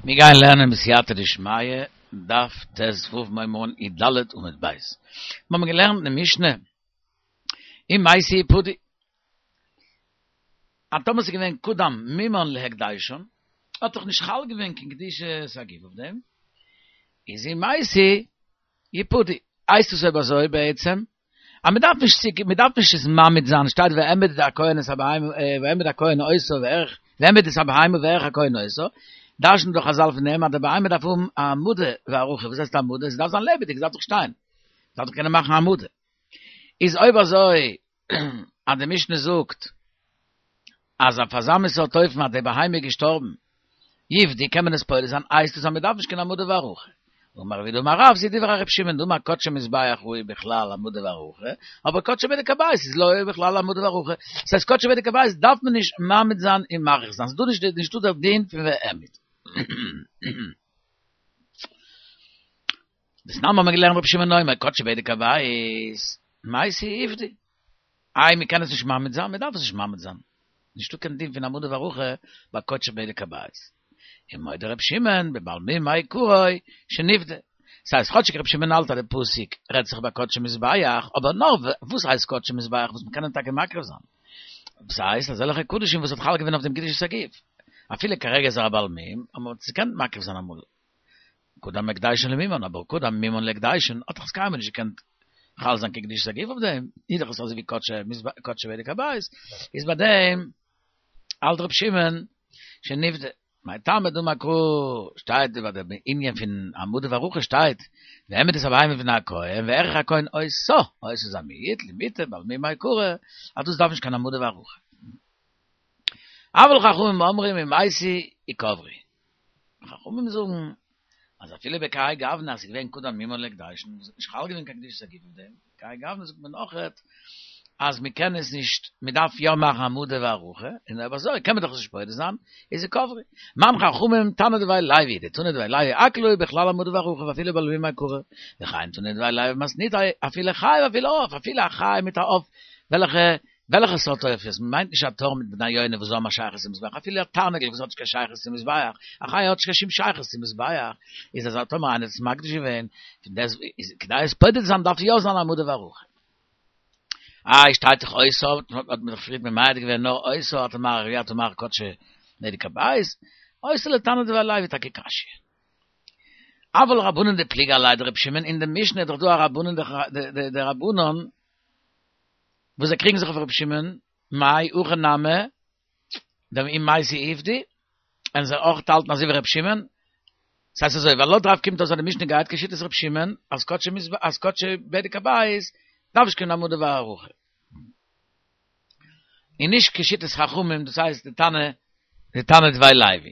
מיר גייען לערנען בסייעתא דשמיא, דף ט"ו מ'הייבט אן י"ד עמוד ב'. מיר האבן געלערנט אין די משנה, אם מתי יפדו. אז טאמער ס'איז געווען קדם מומן להקדשן, האט דאך נישט חל געווען קיין קדושת הגוף אויף דעם, איז אם מתי יפדו. הייסט עס אויב אזוי בעצם, אז מען דארף נישט צו מען דארף נישט עס מעמיד זיין, שטייט והעמיד הכהן את הבהמה והעמיד הכהן אותה וערך והעמיד את הבהמה וערך הכהן אותה, דרש'נט דאך חזל פון דעם אז די בהמה דארף האבן א העמדה והערכה, וואס הייסט העמדה? עס דארף זיין לעבעדיג, עס דארף דאך שטיין, עס דארף דאך קענען מאכן העמדה. איז אויב אזוי אז די משנה זאגט אז אויף אזא מין סארט אופן אז די בהמה איז געשטארבן, יפדו קען מען עס פודה זיין, הייסט עס אז מען דארף נישט קיין העמדה והערכה. אמר רב יהודה אמר רב, זו דברי ר' שמעון דאמר קדשי מזבח הוא בכלל העמדה והערכה, אבער קדשי בדק הבית איז לא בכלל העמדה והערכה. דאס הייסט קדשי בדק הבית דארף מען נישט מעמיד זיין און מעריך זיין, ס'איז דא נישט נישטא דער דין פון והעמיד. דתנן האבן מיר געלערנט רבי שמעון אומר קדשי בדק הבית, מתי יפדו. איי מען קען עס נישט מעמיד זיין? מען דארף עס נישט מעמיד זיין. נישטא קיין דין פון העמדה והערכה ביי קדשי בדק הבית. און מודה רבי שמעון בבעל מום מעיקרא שנפדה. ס'הייסט כאטשיג רבי שמעון האלט אז די פסוק רעדט זיך ביי קדשי מזבח, אבער נאר וואס הייסט קדשי מזבח וואס מען קען אים טאקע מקריב זיין. ס'הייסט אזעלכע קדשים וואס האט חל געווען אויף דעם קדושת הגוף. אפילו כרגע איז ער א בעל מום, אבער מען האט עס געקענט מקריב זיין אמאל. קדם הקדשן למומן, אבער קדם מומן להקדשן האט דאך עס קיינמאל נישט געקענט חל זיין קיין קדושת הגוף אויף דעם, איז דאך עס אזוי ווי קדשי בדק הבית, איז ביי דעם האלט ר' שמעון שנפדה. מאי טעמא דאמר קרא שטייט ביי דעם ענין פון העמדה והערכה שטייט והעמיד את הבהמה לפני הכהן וערך הכהן אותה, אותה איז א מיעוט למעוטי בעל מום מעיקרא, אז דאס דארף נישט קיין העמדה והערכה. אבל חכמים אומרים אם מתי יקברו. חכמים זאגן אז אפילו בכהאי גוונא אז ס'איז געווען קדם מומן להקדשן וואס האט נישט חל געווען קיין קדושת הגוף אויף דעם, בכהאי גוונא זאגט מען אויכעט אז מ'קען עס נישט, מ'דארף יא מאכן העמדה והערכה, און אויב אזוי קען מען דאך עס נישט פודה זיין, איז יקברו. מאן חכמים תנא דבי לוי, דתנא דבי לוי הכל הוא בכלל העמדה והערכה ואפילו בעל מום מעיקרא, וכן תנא דבי לוי במתניתא אפילו חי ואפילו עוף, אפילו א חי מיט א עוף וועלכע וועלכע סארט עופות? מ'מיינט נישט א תור מיט בני יונה וואס האבן א שייכות צום מזבח, אפילו א תרנגול וואס האט נישט קיין שייכות צום מזבח, א חיה האט נישט קיין שום שייכות צום מזבח, איז אז טאמער איינער האט עס מקדיש געווען, פון דעס איז כדי עס פודה צו זיין דארף יא זיין העמדה והערכה. איי שטייט דאך אותה, האט מען דאך פריערט ממעט געווען נאר אותה אתה מעריך ואי אתה מעריך קדשי בדק הבית, אותה לתנא דבי לוי טאקע קשיא. אבל רבנן דפליגי עליה דרבי שמעון, אין די משנה איז דאך דא א רבנן די רבנן וואס זיי קריגן זיך אויף רבי שמעון, מאי הכי נמי, דאם מתי יפדו, און זיי אויך האלטן אזוי ווי רבי שמעון, ס'הייסט אזוי, ווייל לויט רב קומט אויס אז די משנה גייט כשיטת רבי שמעון, אז קדשי מזבח אז קדשי בדק הבית דארף נישט קיין העמדה והערכה. און נישט כשיטת חכמים, דאס הייסט די תנא, די תנא דבי לוי.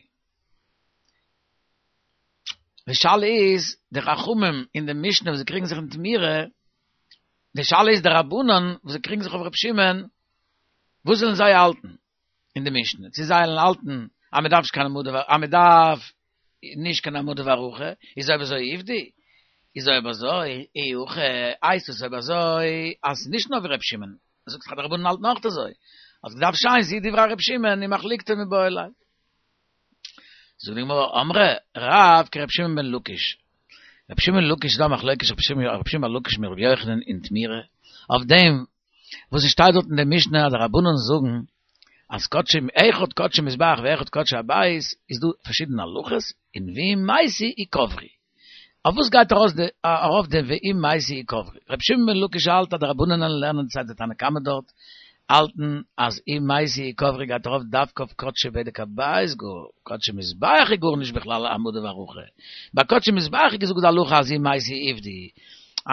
די שאלה איז, די חכמים אין די משנה וואס זיי קריגן זיך אין תמורה, די שאלה איז די רבנן וואס זיי קריגן זיך אויף ר' שמעון, וואס זאלן זיי האלטן אין די משנה? צו זיי זאלן האלטן אז מען דארף נישט קיין העמדה אז מען דארף נישט קיין העמדה והערכה, איז אויב אזוי יפדו, איז אויב אזוי אי הכי הייסט עס אויב אזוי אז ס'איז נישט נאר ווי ר' שמעון, זאגט דאך אז די רבנן האלטן אויך אזוי, האט געדארפט שטיין זו דברי ר' שמעון ומחלוקתו מיבעי ליה. זאגט די גמרא, אמרי רב כר' שמעון בן לקיש, ר' שמעון בן לקיש איז דא א מחלוקת ר' שמעון בן לקיש מיט ר' יוחנן אין תמורה, אויף דעם וואס עס שטייט דארט אין די משנה אז די רבנן זאגן אז קדשי אחד קדשי מזבח ואחד קדשי הבית איז דא פארשידענע הלכות און ואם מתי יקברו. אויף וואס גייט ארויס די ארויף די ואם מתי יקברו? רבי שמעון בן לקיש האלט אז די רבנן לערנען סיי די תנא קמא דארט האלטן אז אם מתי יקברו גייט ארויף דווקא אויף קדשי בדק הבית גאר קדשי מזבח איז גארנישט בכלל העמדה והערכה ביי קדשי מזבח איז געזאגט די הלכה אז אם מתי יפדו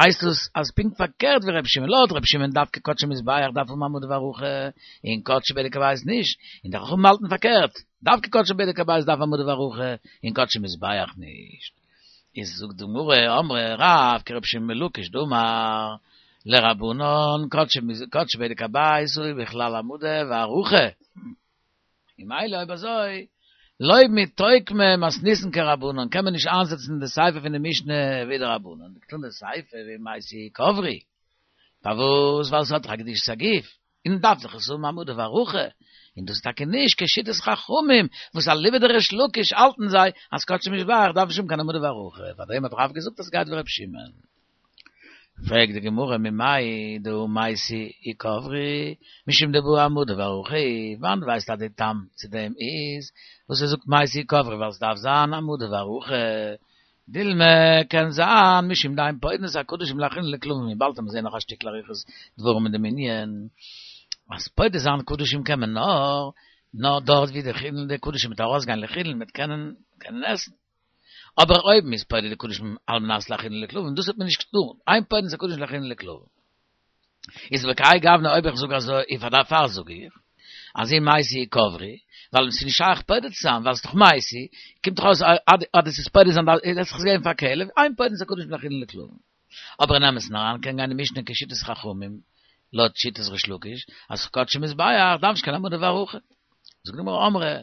הייסט עס אז פונקט פארקערט ווי רבי שמעון לויט רבי שמעון דווקא קדשי מזבח דארף האבן העמדה והערכה און קדשי בדק הבית נישט און די חכמים האלטן פארקערט דווקא קדשי בדק הבית דארף העמדה והערכה און קדשי מזבח נישט. איז זאגט די גמרא, אמרי רב כרבי שמעון בן לקיש דאמר לרבנן קדשי בדק הבית הוא בכלל העמדה והערכה. און ממילא אויב אזוי לא מיתוקמא מתניתין כרבנן קען מען נישט איינזעצן די סיפא פון די משנה ווי די רבנן, דקתני סיפא ואם מתי יקברו. פארוואס? ווייל ס'האט דאך א קדושת הגוף. און דארף דאך עס האבן העמדה והערכה. און דאס איז טאקע נישט כשיטת חכמים, וואס אליבא דריש לקיש האלטן זיי אז קדשי מזבח דארף נישט האבן קיין העמדה והערכה, פארדעם האט רב געזאגט אז ס'גייט ווי ר' שמעון. פרעגט די גמרא ממאי דהא מתי יקברו, משום דבעי העמדה והערכה, וואנעט ווייסטו אז די טעם צו דעם איז וואס ער זאגט מתי יקברו ווייל ס'דארף זיין העמדה והערכה, דילמא קען זיין משום דאין פודין את הקדשים להאכילן לכלבים און באלד וועט מען זעהן נאך א שטיקל אריכות דברים אין דעם ענין אז פודה זיין קדשים קען מען נאר נאר דארט ווי די חולין די קדשים וועט ארויסגיין לחולין מ'וועט קענען קענען עסן אבער אויב מ'איז פודה די קדשים על מנת להאכילן לכלבים דאס האט מען נישט געטאן אין פודין את הקדשים להאכילן לכלבים. איז בכהאי גוונא אויב איך זאג אזוי און פאר דערפאר זאג איך אז אם מתי יקברו ווייל עס איז נישט שייך פודה צו זיין ווייל עס איז דאך מתי קומט דאך אויס אז דאס איז פודה זיין דארף איך עס געבן פאר כלב אין פודין את הקדשים להאכילן לכלבים אבער אין אמת'ן אריין קען גיין די משנה כשיטת חכמים לויט שיטת ריש לקיש אז קדשי מזבח דארף נישט קיין העמדה והערכה זאגט די גמרא אמרי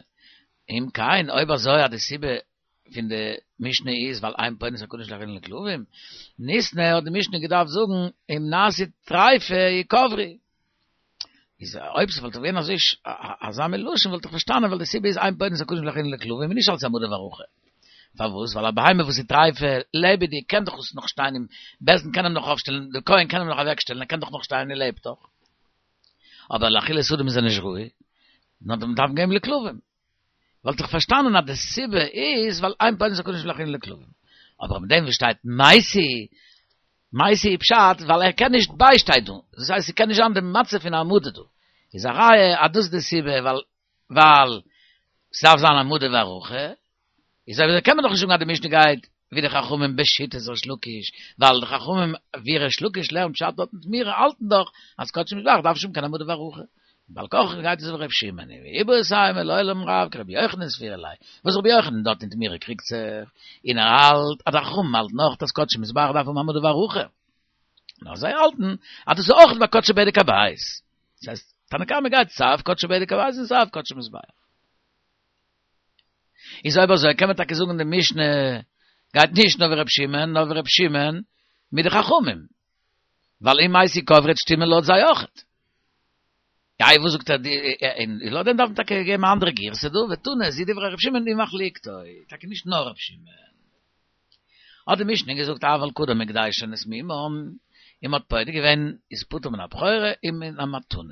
אם כן אויב אזוי אז די סיבה פון די משנה איז ווייל אין פודין את הקדשים להאכילן לכלבים, ניתני האט די משנה געדארפט זאגן אם נעשו טריפה יקברו. איז אויב ס'וואלט געווען אזוי אזא מין לשון וואלט איך פארשטאנען ווייל די סיבה איז אין פודין את הקדשים להאכילן לכלבים און נישט אלס העמדה והערכה. פארוואס? ווייל א בהמה וואס איז טריפה לעבעדיג קען דאך עס נאך שטיין און בית דין קען אים נאך אויפשטעלן, די כהן קען אים נאך אוועקשטעלן, ער קען דאך נאך שטיין ער לעבט דאך. אבער לאכילת אדם איז ער נישט ראוי, נאר דעם דארף מען געבן לכלבים. וואלט איך פארשטאנען אז די סיבה איז ווייל אין פודין את הקדשים להאכילן לכלבים. אבער מיט דעם וואס שטייט מתי, מתי איז פשט ווייל ער קען נישט ביישטיין דא, דאס הייסט ס'קען נישט זיין די מצב פון העמדה דא. איז א ראיה אז דאס איז די סיבה ווייל ווייל ס'דארף זיין העמדה והערכה. איז אויב אזוי קען מען דאך נישט זאגן אז די משנה גייט ווי די חכמים בשיטת ריש לקיש, ווייל די חכמים ווי ריש לקיש לערנט פשט דארט אין תמורה האלטן דאך אז קדשי מזבח דארף נישט האבן קיין העמדה והערכה. בעל כרחך גייט עס ווי ר' שמעון, ואיבעית אימא לעולם רב כרבי יוחנן סבירא ליה, וואס רבי יוחנן דארט אין תמורה קריגט זיך, און ער האלט אז די חכמים האלטן אויך אז קדשי מזבח דארף האבן העמדה והערכה, נאר זיי האלטן אז דאס איז אויך ביי קדשי בדק הבית, דאס הייסט תנא קמא גייט סיי אויף קדשי בדק הבית און סיי אויף קדשי מזבח. איז אויב אזוי קען מען טאקע זאגן די משנה גייט נישט נאר ווי ר' שמעון נאר ווי ר' שמעון מיט די חכמים ווייל אם מתי יקברו וועט שטימען לויט זיי אויכעט. איי וואס זאגט ער די און לויט דעם דארף מען טאקע געבן א אנדערע גירסא דא ותנא זו דברי ר' שמעון ומחלוקתו טאקע נישט נאר ר' שמעון. האט די משנה געזאגט אבל קדם הקדשן את מומן און מ'האט פודה געווען איז פטור מן הבכורה און מן המתנות.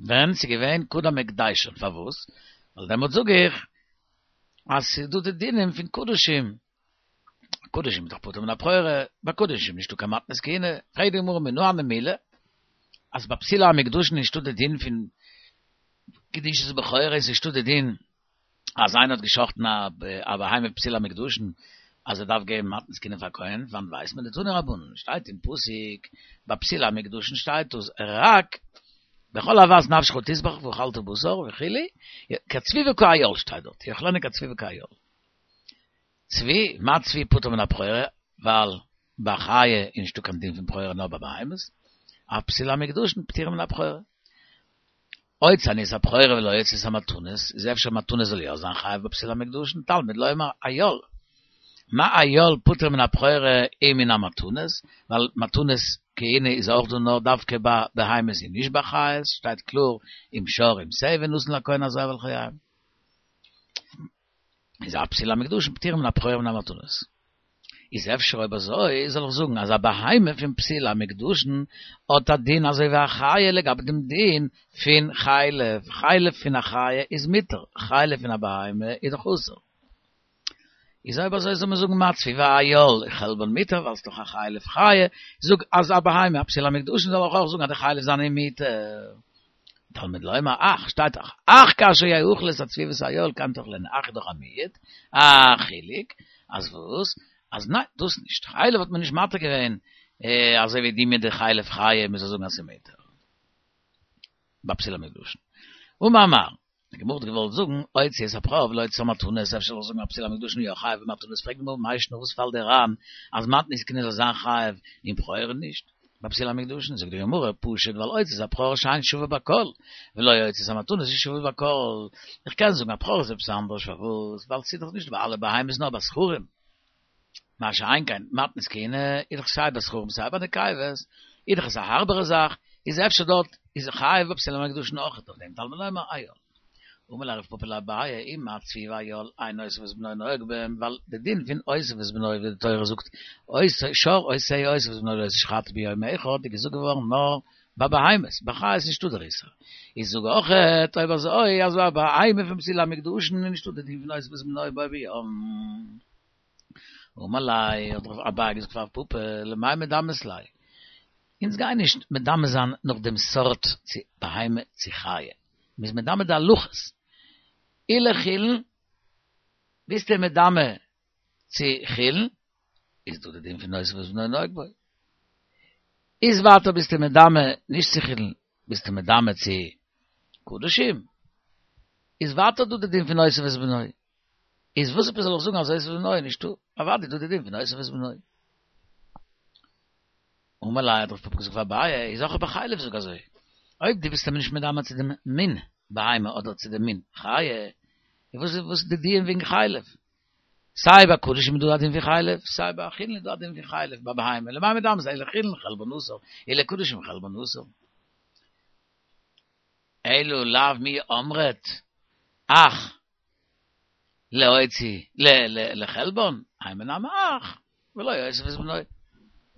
ווען ס'איז געווען קדם הקדשן, פארוואס? ווייל דעמאלט זאג איך אז ס'איז דא די דינים פון קדשים, קדשים איז דאך פטור מן הבכורה, ביי קדשים נישטא קיין מתנות כהונה, פרעגט די גמרא מנא הני מילי, אז ביי פסולי המוקדשין נישטא די דין פון קדושת בכורה, איז נישטא די דין אז איינער האט געשחטן א בהמה פסולי המוקדשין אז ער דארף געבן מתנות כהונה פאר כהן, וואנעט ווייסט מען דתנו רבנן, שטייט אין פסוק ביי פסולי המוקדשין שטייט דאס רק בכל אוות נפשך תזבח ואכלת בשר וכו', כצבי וכאיל שטייט דארט, יאכלנו כצבי וכאיל. צבי, מה צבי פטור מן הבכורה, ווייל ביי חיה איז נישטא קיין דין פון בכורה נאר ביי בהמות, אף פסולי המוקדשין פטורים מן הבכורה. הוציא אני את הבכורה ולא אוציא את המתנות, איז אפשר מתנות זאל יא זיין חייב בפסולי המוקדשין, תלמוד לומר איל. מה איל פטור מן הבכורה ומן המתנות, ווייל מתנות כהונה איז אויך דא נאר דווקא ביי בהמות און נישט ביי חיות, שטייט קלאר אם שור אם שה ונתן לכהן הזר ולחייהם. איז אף פסולי המוקדשין פטורים מן הבכורה ומן המתנות. איז אפשר אויב אזוי זאל איך זאגן אז א בהמה פון פסולי המוקדשין האט א דין אזוי ווי א חיה לגבי דעם דין פון חלב, חלב פון א חיה איז מותר, חלב פון א בהמה איז דאך אסור. איז אויב אזוי זאל מען זאגן מה צבי ואיל חלבן מותר ווייל ס'איז דאך א חלב חיה, זאג אז א בהמה א פסולי המוקדשין זאל איך אויך זאגן אז די חלב זענען מותר. תלמוד לומר אך, שטייט דאך, אך כאשר יאכלו את הצבי ואת האיל כן תאכלנו, אך איז דאך א מיעוט, א חילוק, אז וואס? אז ניין, דאס נישט, חלב האט מען נישט מתיר געווען, אזוי ווי די מיט די חלב חיה, מען זאל זאגן אז ס'איז מותר. ביי פסולי המוקדשין. אמר מר. די גמרא האט געוואלט זאגן, הוציא את הבכור ולא הוציא את המתנות, אפשר זאל איך זאגן אז פסולי המוקדשין יא חייב במתנות, פרעגט די גמרא מאי שנא וואס פאלט דיר איין אז מתנות כהונה זאל זיין חייב און בכורה נישט? ביי פסולי המוקדשין זאגט די גמרא פשוט ווייל הוציא את הבכור שאין שווה בכל ולא הוציא את המתנות איז שווה בכל, איך קען זאגן א בכור איז עפעס אנדערש פארוואס ווייל ס'איז דאך נישט ביי אלע בהמות נאר ביי זכרים מה שאין כן מתנות כהונה איז דאך סיי ביי זכרים סיי ביי נקבות איז דאך עס א הארבערע זאך. איז אפשר דארט איז חייב בפסילי המוקדשין אויכעט אויף דעם תלמוד לומר איל. אמר ליה רב פפא לאביי אי מה צבי ואיל אין אותו ואת בנו נוהג בהם ווייל די דין פון אותו ואת בנו ווי די תורה זאגט שור אותו אותו ואת בנו לא תשחטו ביום אחד איז געזאגט געווארן נאר ביי בהמות, ביי חיות איז נישטא דער איסור. איז זאג אויכעט אויב אזוי אז ביי בהמה פון פסילי המוקדשין איז נישטא די דין פון אותו ואת בנו בו ביום. אמר ליה האט אביי געזאגט פאר רב פפא למאי מדמית ליה, אונז גייען נישט מדמה זיין נאך דעם סארט צו בהמה צו חיה, מ'איז מדמה די הלכות, אי לחולין ביסטו מדמה צו חולין, איז דא די דין פון אותו ואת בנו נוהג בו, איז ווייטער ביסטו מדמה נישט צו חולין, ביסטו מדמה צו קדשים, איז ווייטער דא די דין פון אותו ואת בנו. איז וואס עפעס זאל איך זאגן אז אותו ואת בנו איז נישטא? אוודאי איז דא די דין פון אותו ואת בנו. אמר ליה האט רב פפא געזאגט פאר אביי, איז אויך ביי חלב זאג אזוי, אויב דו ביסט אים נישט מדמה צו דעם מין בהמה אדער צו דעם מין חיה, איז וואס איז וואס די דיון וועגן חלב? סיי ביי קדשים איז דא א דין פון חלב, סיי ביי חולין איז דא א דין פון חלב ביי בהמה, למאי מדמית אי לחולין חלבן אסור, אי לקדשים חלבן אסור. אלא לאו מי אמרת אח להוציא לחלבן, אימא נמי אח, ולא אותו ואת בנו.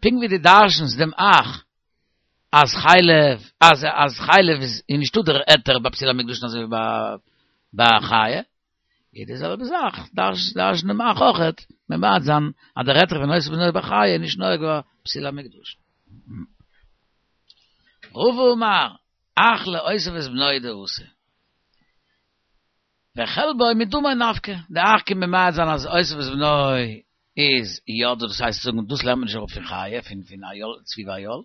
פונקט ווי דו דרש'נסט דעם אח אז חלב, אז אז חלב איז נישטא דער היתר ביי פסולי המוקדשין אזוי ווי ביי חיה, איז די זעלבע זאך, דרש'ן דעם אח אויכעט, ממעט זיין אז דער היתר פון אותו ואת בנו ביי חיה איז נישט נוהג ביי פסולי המוקדשין. רבא אמר, אח לאותו ואת בנו דאתא. וחלבו מדמו נפקא, די אח קומט ממעט זיין אז אותו ואת בנו איז יא דא, דאס הייסט זאגן דאס לערנט מען נישט אראפ פון חיה, פון פון איל, צבי ואיל,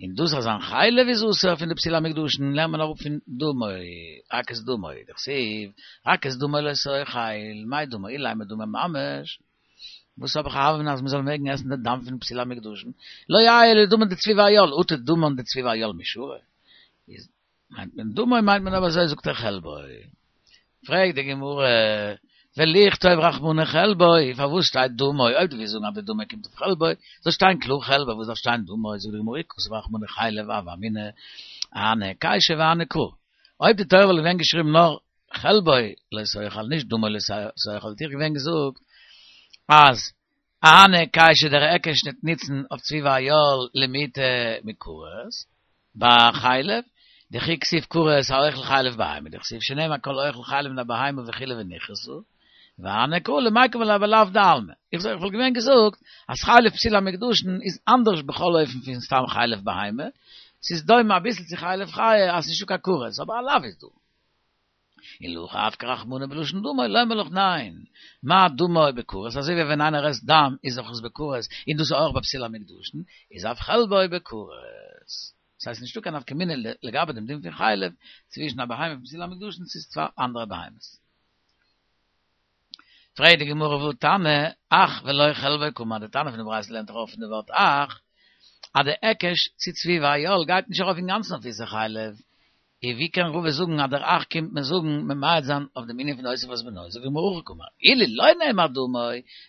און דאס אז זיין חלב איז אסור פון די פסולי המוקדשין לערנט מען אראפ פון דמו, רק את דמו, דכתיב, רק את דמו לא תאכל, מאי דמו, אילימא דמו ממש, וואס האב איך א הוה אמינא אז מ'זאל מעגן עסן די דם פון פסולי המוקדשין, לא יהא אלא דמן דצבי ואיל, אטו דמן דצבי ואיל מי שרי, איז מיינט מען דמו מיינט מען אבער אזוי זאגט ער חלבו. פרעגט די גמרא, ולכתוב רחמנא חלבו, פארוואס שטייט דמו, אויב דו ווילסט זאגן אז די דמו קומט אויף חלבו, זאל שטיין קלאר חלבו, וואס דארף שטיין דמו, זאגט די גמרא אי כתב רחמנא חלב הוה אמינא, אהני היקשא והני קרא. אויב די תורה וואלט געווען געשריבן נאר חלבו לא תאכל נישט דמו לא תאכל וואלט איך געווען געזאגט אז אהני היקשא דער היקש ניט ניצן אויף צבי ואיל למעוטי מכרת ביי חלב דכי כתיב כרת האוכל חלב בהמה דכתיב שנאמר כל האוכל חלב מן הבהמה וכו' ונכרתה והני קרא למיקם עליה בלאו דעלמא איך זאג איך וואלט געווען געזאגט אז חלב פסולי המוקדשין איז אנדערש בכל אופן פון סתם חלב בהמה ס'איז דומה אביסל צו חלב חיה אז ס'נישטא קיין כרת אבער א לאו איז דא. און להכי אפקה רחמנא בלשון דמו, לומר לך ניין, מה דמו בכרת, אזוי ווי ווען איינער עסט דם איז דאך עס בכרת, און דאס איז אויך ביי פסולי המוקדשין, איז אף חלבו בכרת. דאס הייסט נישטא קיין נפקא מינה לגבי דעם דין פון חלב צווישן א בהמה פון פסולי המוקדשין צו צוויי אנדערע בהמות. פרעגט די גמרא והא תנא, אח ולא חלבו קאמר, די תנא פון די ברייתא לערנט דאך אויף פון די ווארט אח, אז די היקש צו צבי ואיל גייט נישט ארויף אינגאנצן אויף איסור חלב, און ווי קען רבא זאגן אז דער אח קומט מיר זאגן ממעט זיין אויף דעם ענין פון אותו ואת בנו, זאגט די גמרא הכי קאמר, אילו לא נאמר דמו,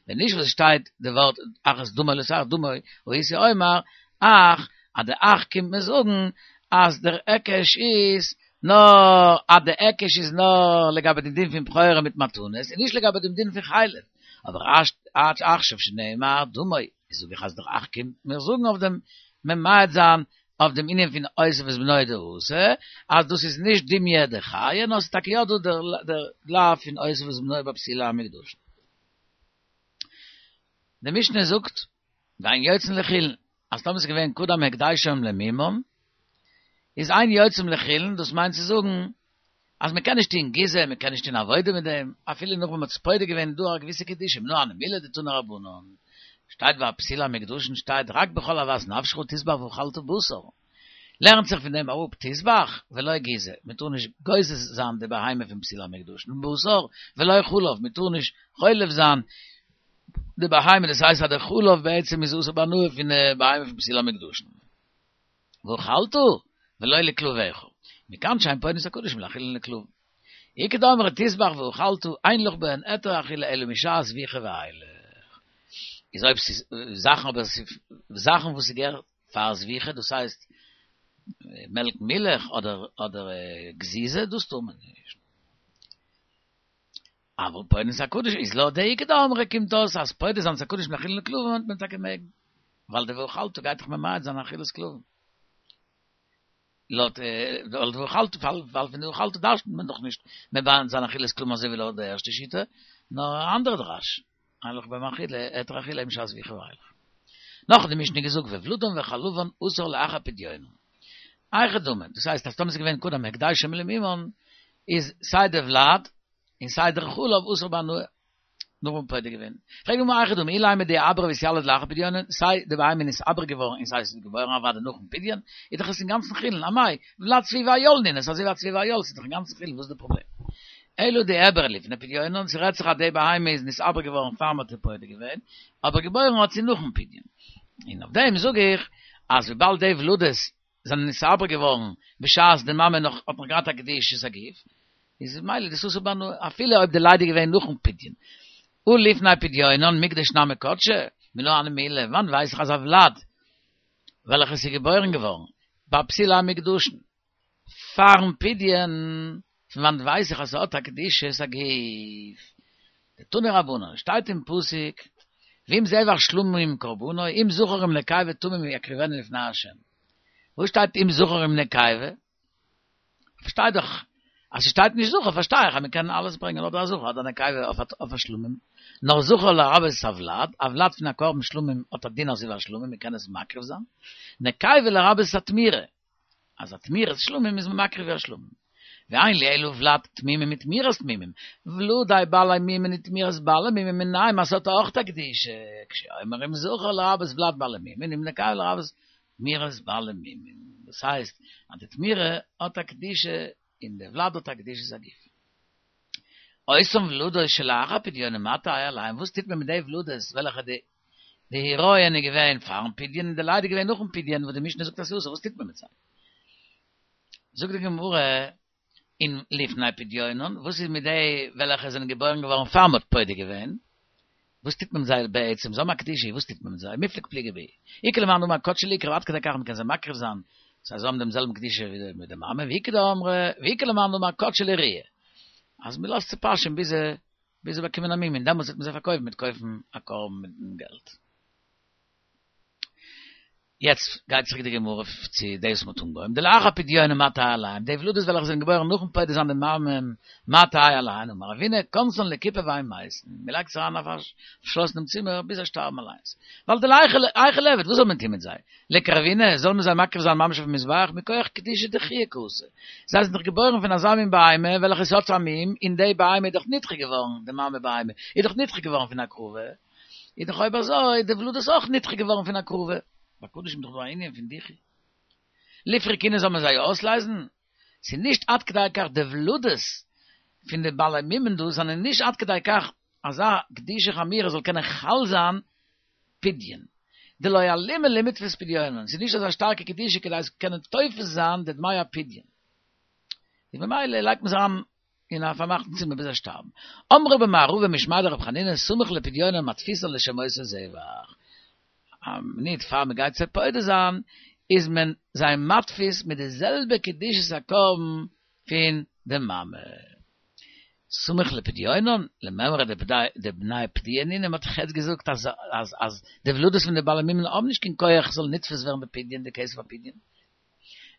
ווען נישט וואס עס שטייט די ווארט אך את דמו לא תאכל דמו, הייתי אומר אח, אז די אח קומט מיר זאגן אז דער היקש איז נאר אז די היקש איז נאר לגבי דעם דין פון בכורה מיט מתנות און נישט לגבי דעם דין פון חלב, אבער עכשיו שנאמר דמו, זאג איך אז דער אח קומט מיר זאגן אויף דעם ממעט זיין אויף דעם ענין פון אותו ואת בנו דאתא, אז דאס איז נישט דומיא דחיה, נאר ס'איז טאקע יא דא דער לאו פון אותו ואת בנו ביי פסולי המוקדשין. די משנה זאגט, ואין יוצאין לחולין, אז טאמער ס'איז געווען קדם הקדשם למומם, איז אין יוצאין לחולין, דאס מיינט צו זאגן, אז מען קען נישט טוהן גיזה, מען קען נישט טוהן עבודה מיט דעם, אפילו נאך ווען מען האט עס פודה געווען איז דא א געוויסע קדושה, מנא הני מילי דתנו רבנן, שטייט ביי פסולי המוקדשין שטייט רק בכל אוות נפשך תזבח ואכלת בשר, לערנט זיך פון דעם אראפ תזבח ולא גיזה, מען טאר נישט גוזז זיין די בהמה פון פסולי המוקדשין, בשר ולא חלב, מען טאר נישט חולב זיין די בהמה, דאס הייסט אז די חלב בעצם איז אסור בהנאה פון די בהמה פון פסולי המוקדשין. ואכלת ולא לכלביך, מכאן שאין פודין את הקדשים לחולין ולכלבים. איכא דאמרי תזבח ואכלת אין לך בהן היתר אכילה אלא משעת זביחה ואילך. איז אויב ס'איז זאכן אבער ס'איז זאכן וואס ס'געהערט פאר זביחה דאס הייסט. מעלקן מילך אדער אדער גזיזה דאס טאר מען נישט. אבל פודין את הקדשים איז לויט די איכא דאמרי קומט אויס אז פודה זיין את הקדשים לאכילה לכלבים וועט מען טאקע מעגן ווייל די ואכלת גייט דאך ממעט זיין אכילת כלבים. לויט ווייל די ואכלת ווייל פון די ואכלת דרש'נט מען דאך נישט ממעט זיין אכילת כלבים אזוי ווי לויט די ערשטע שיטה, נאר א אנדערע דרש, אין לך בהם אכילה, היתר אכילה משעת ויכי ואילך. נאך האט די משנה געזאגט וולדן וחלבן אסור לאחר פדיונן. היכי דמי, דאס הייסט אז טאמער ס'איז געווען קודם הקדשם למומן, איז סיי די ולד און סיי דער חלב אסור בהנאה. נאך וואס מ'האט פודה געווען. פרעגט די גמרא היכי דמי אילימא דאיעברא ואיתיליד לאחר פדיונן, סיי די בהמה איז נתעבר געווארן און סיי ס'איז געבוירן אוודאי נאכן פדיון, איז דאך עס אינגאנצן חולין, אמאי, ולד צבי ואיל נינהו, ס'איז אזוי ווי א צבי ואיל, ס'איז דאך אינגאנצן חולין, וואס איז די פראבלעם? אלא דאיעברא לפני פדיונן, ס'רעדט זיך אז די בהמה איז נתעבר געווארן פאר מ'האט איר פודה געווען, אבער געבוירן האט זי נאכן פדיון. און אויף דעם זאג איך אז וויבאלד די ולדות זענען נתעבר געווארן בשעת די מאמע נאך האט נאך געהאט א קדושת הגוף, איז ממילא דאס אסור בהנאה אפילו אויב די לידה איז געווען נאכן פדיון. הא לפני פדיונן מקדש נמי קדשי, מנא הני מילי, וואנעט ווייס איך אז א ולד וועלכעס איז געבוירן געווארן ביי פסולי המוקדשין פארן פדיון, פון וואנעט ווייס איך אז ס'האט א קדושת הגוף? דתנו רבנן, שטייט אין פסוק, ואם זבח שלמים קרבנו, אם זכר אם נקבה תמים יקריבנו לפני ה'. וואו שטייט אם זכר אם נקבה? פארשטיי דאך אז ס'שטייט נישט זכר פארשטיי איך אז מ'קען אלעס ברענגען אדער א זכר אדער א נקבה אויף א שלמים, נאר זכר לרבות הולד, א ולד פון א קרבן שלמים האט א דין אזוי ווי א שלמים מ'קען עס מקריב זיין, נקבה לרבות התמורה. אז א תמורת שלמים איז מען מקריב ווי א שלמים. ואין לי אלא ולד תמימים מתמורת תמימים, ולדי בעלי מומין ותמורת בעלי מומין מנין אז ס'האט אויך א קדושה, כשהוא אומר אם זכר לרבות ולד בעלי מומין אם נקבה לרבות תמורת בעלי מומין. דאס הייסט אז די תמורה האט א קדושה און די ולד האט א קדושת הגוף. אותן ולדות שלאחר פדיונן מה תהא עליהן, וואס טוט מען מיט די ולדות וועלכע די די הריון איז געווען פארן פדיון און די לידה איז געווען נאכן פדיון וואס די משנה זאגט אז ס'איז אסור, וואס טוט מען מיט זיי? זאגט די גמרא אין לפני פדיונן, וואס איז מיט די וועלכע זענען געבוירן געווארן פאר מ'האט פודה געווען? וואס טוט מען מיט זיי בעצם? זיי האבן א קדושה, וואס טוט מען מיט זיי? מיפלג פליגי בהו. איכא למאן דאמר קדשי ליקרב עד כדי כך מ'קען זיי מקריב זיין, זיי האבן דעם זעלבן קדושה ווי די מאמע, ואיכא דאמרי, ואיכא למאן דאמר קדשי לרעיה, אז מ'לאזט זיי פאשען ביז זיי ביז זיי באקומען א מום און דעמאלטס וועט מען זיי פארקויפן מ'וועט קויפן א קרבן מיטן געלט. יעצט גייט צוריק די גמרא צו דאס וואס מ'האט אנגעהויבן, דלאחר פדיונן מה תהא עליהם, די ולדות וועלכע זענען געבוירן נאכן פודה זיין די מאמע מה תהא עליהן, אמר רבינא, כונסן לכיפה והן מתין, מ'לייגט זיי אריין אין א פארשלאסענעם צימער ביז זיי שטארבן אליינס, ווייל דלהיכי ליעבד, וואס זאל מען טון מיט זיי? ליקרבינהו, זאל מען זיי מקריב זיין ממש אויפן מזבח, מכח קדושה דחויה קאתו. זיי זענען דאך געבוירן פון אזא מין בהמה וועלכע עס האט א מום, און די בהמה איז דאך נדחה געווארן, די מאמע בהמה איז דאך נדחה געווארן פון הקרבה, איז דאך אויב אזוי די ולדות אויך נדחה געווארן פון הקרבה. ביי קדשים איז דאך דא א ענין פון דיחוי. ליפרקינהו זאל מען זיי אויסלייזן? ס'איז נישט עד כדי כך די ולדות פון די בעלי מומין דא זענען נישט עד כדי כך אזא קדושה חמורה זאל קענען חל זיין פדיון. דלא אלימא למיתפס פדיונן, ס'איז נישט אזא שטארקע קדושה כדי עס קענען תופס זיין די דמי הפדיון. און ממילא לייגט מען זיי אריין אין א פארמאכטן צימער ביז זיי שטארבן. אמרי במערבא משמיה דרב חנינא סמוך לפדיונן מתפיסן לשם אותו זבח. א מינוט פאר מען גייט זיי פודה זיין איז מען זיי מתפיס מיט די זעלבע קדושת הקרבן פון די מאמע. סמוך לפדיונן, למימרא דבני פדויה נינהו, מ'האט דאך יעצט געזאגט אז אז אז די ולדות פון די בעלי מומין האבן נישט קיין כח ס'זאל נתפס ווערן בפדיון די כסף הפדיון.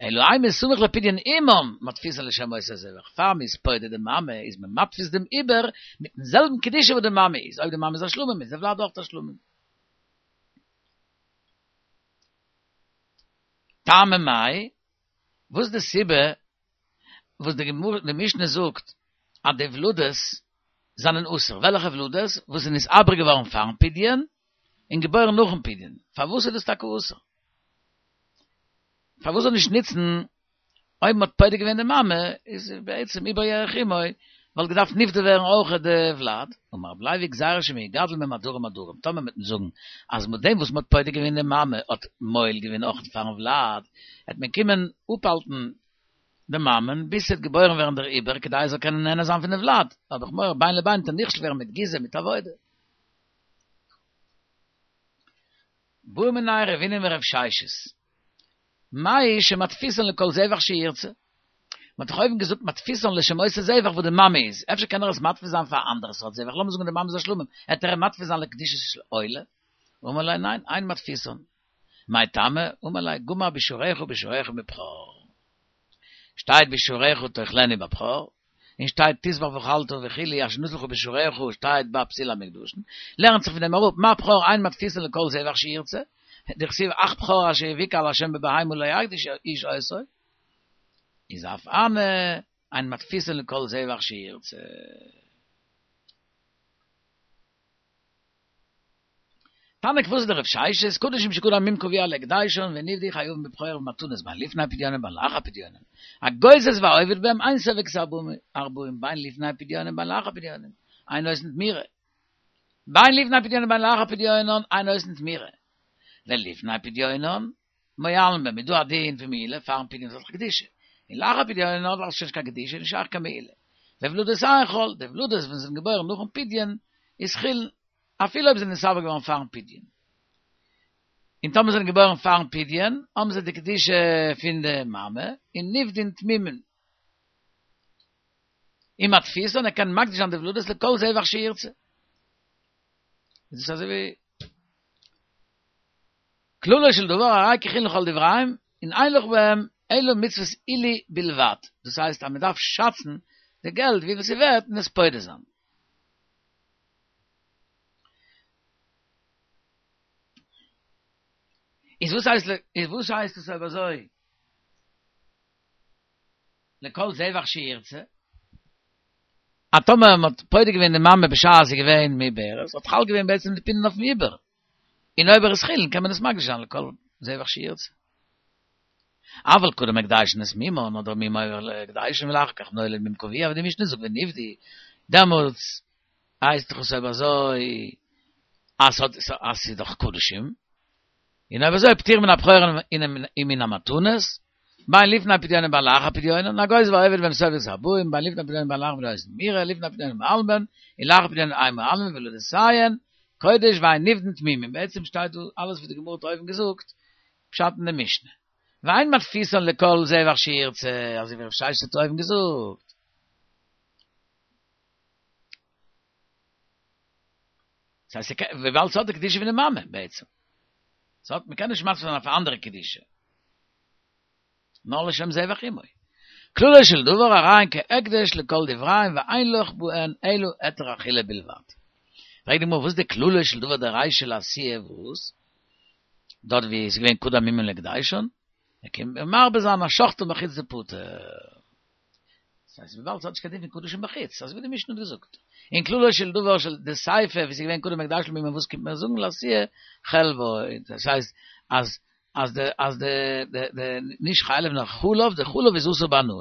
אלא אימא סמוך לפדיון אמן מתפיסן לשם אותו זבח, פאר מ'איז פודה די מאמע איז מען מתפיס דעם עובר מיטן זעלבן קדושה וואס די מאמע איז, אויב די מאמע איז א שלמים איז די ולד אויך א שלמים. טעמא מאי, וואס איז די סיבה וואס די גמרא די משנה זאגט אז די ולדות זענען אסור, וועלכע ולדות? וואס איז נתעבר געווארן פארן פדיון און געבוירן נאכן פדיון, פארוואס איז דאס טאקע אסור? פארוואס זאל נישט נוצן אויב מ'האט פודה געווען די מאמע איז בעצם עובר ירך אמו וואלט געדארפט נפדה ווערן אויך די ולד, אמר רבי לוי גזירה שמא יגדל מהם עדרים עדרים, טאמער מ'עט זאגן אז מיט דעם וואס מ'האט פודה געווען די מאמע האט מועיל געווען אויך פארן ולד, העט מען קומען אפהאלטן די מאמען ביז ס'וועט געבוירן ווערן דער עובר כדי ער זאל קענען נהנה זיין פון די ולד, האב איך מורא בין לבין וועט ער נכשל ווערן מיט גיזה מיט עבודה. בעא מיניה רבינא מרב ששת. מהו שמתפיסן לכל זבח שירצה? מ'האט דאך אויבן געזאגט מתפיסן לשם אותו זבח וואס די מאמע איז, אפשר קען ער עס מתפיס זיין פאר א אנדערע סארט זבח, לאמיר זאגן די מאמע איז א שלמים, עט ער אים מתפיס זיין לקדושת עולה? אמר ליה ניין, אין מתפיסן. מאי טעמא? אמר ליה גמר בישורך בישורך מבכור. שטייט בישורך תאכלנו בבכור, און שטייט תזבח ואכלת וכו' אשר נתן לך בישורך שטייט ביי פסולי המוקדשין, לערנט זיך פון דעם אראפ מה בכור אין מתפיסין לכל זבח שירצה, דכתיב אך בכור אשר יבקע לה' בבהמה לא יקדיש איש אותו, איז אף הני אין מתפיסין לכל זבח שירצה. תנא כוותיה דרב ששת, קדשים שקדם מום קבוע להקדישן ונפדו חייבין בבכור ובמתנות בין לפני פדיונן בין לאחר פדיונן. הגוזז והעובד בהם אין סופק את הארבעים בין לפני פדיונן בין לאחר פדיונן אין עושין תמורה. בין לפני פדיונן בין לאחר פדיונן אין עושין תמורה. ולפני פדיונן מועלין בהם איז דא א דין פון מעילה פארן פדיון איז דאך קדושה, און לאחר פדיון האט דאך שוין נישט קיין קדושה נישט שייך קיין מעילה. וולדותיהן חול, די ולדות ווען זיי זענען געבוירן נאכן פדיון איז חולין, אפילו אויב זיי זענען נתעבר געווארן פארן פדיון. און טאמער זיי זענען געבוירן פארן פדיון האבן זיי די קדושה פון די מאמע און נפדין תמימין. ומתפיסן ער קען מקדיש זיין די ולדות לכל זבח שירצה. איז דאס אזוי ווי כללו של דבר הרי כחולין לכל דבריהם און אין לך בהם אלא מצוות עילוי בלבד, דאס הייסט אז מען דארף שאצן די געלט וויפיל ס'ווערט און עס פודה זיין. איז וואס הייסט איז וואס הייסט עס אויב אזוי לכל זבח שירצה? אז טאמער מען האט פודה געווען די מאמע בשעת זי איז געווען מעוברת האט חל געווען בעצם די פדיון אויפן עובר. און אויב ער איז חולין קען מען עס מקדיש זיין לכל זבח שירצה. אבל קדם הקדשן את מומן אדער מום עובר להקדשן ולאחר כך נולד מום קבוע ווי די משנה זאגט ונפדו, דעמאלטס הייסט דאך עס אויב אזוי אז אז ס'איז דאך קדשים, און אויב אזוי פטור מן הבכור ומן המתנות, בין לפני פדיונן בין לאחר פדיונן, הגוזז והעובד בהם סופק את הארבעים, בין לפני פדיונן בין לאחר פדיונן תמורה, לפני פדיונן מועלין בהן, און לאחר פדיונן אין מועלין וולדותיהן, קודש ואין נפדין תמימים, בעצם שטייט דא אלעס וואס די גמרא האט אויבן געזאגט, פשט אין די משנה. ואין מתפיסן לכל זבח שירצה, אזוי ווי רב ששת האט אויבן געזאגט. דאס הייסט וויבאלד ס'האט די קדושה פון די מאמע בעצם. ס'האט, מ'קען נישט מתפיס זיין אויף א אנדערע קדושה. נאר לשם זבח אמו. כללו של דבר הרי הן כהקדש לכל דבריהם ואין לך בהן אלא היתר אכילה בלבד. פרעגט די גמרא וואס איז די כללו של דבר דרישא לעשיה וואס? דארט ווי עס איז געווען קדם מומן להקדשן, ער קומט מרבה זיין אז שחטן בחוץ דפטור. דאס הייסט וויבאלד ס'האט נישט קיין דין פון קדשים בחוץ, אזוי ווי די משנה האט געזאגט. און כללו של דבר של דסיפא ווי ס'איז געווען קדם הקדש למומן וואס קומט מען זאגן לאתויי חלבו, דאס הייסט אז אז די אז די די די נישט חלב נאר חלב, די חלב איז אסור בהנאה.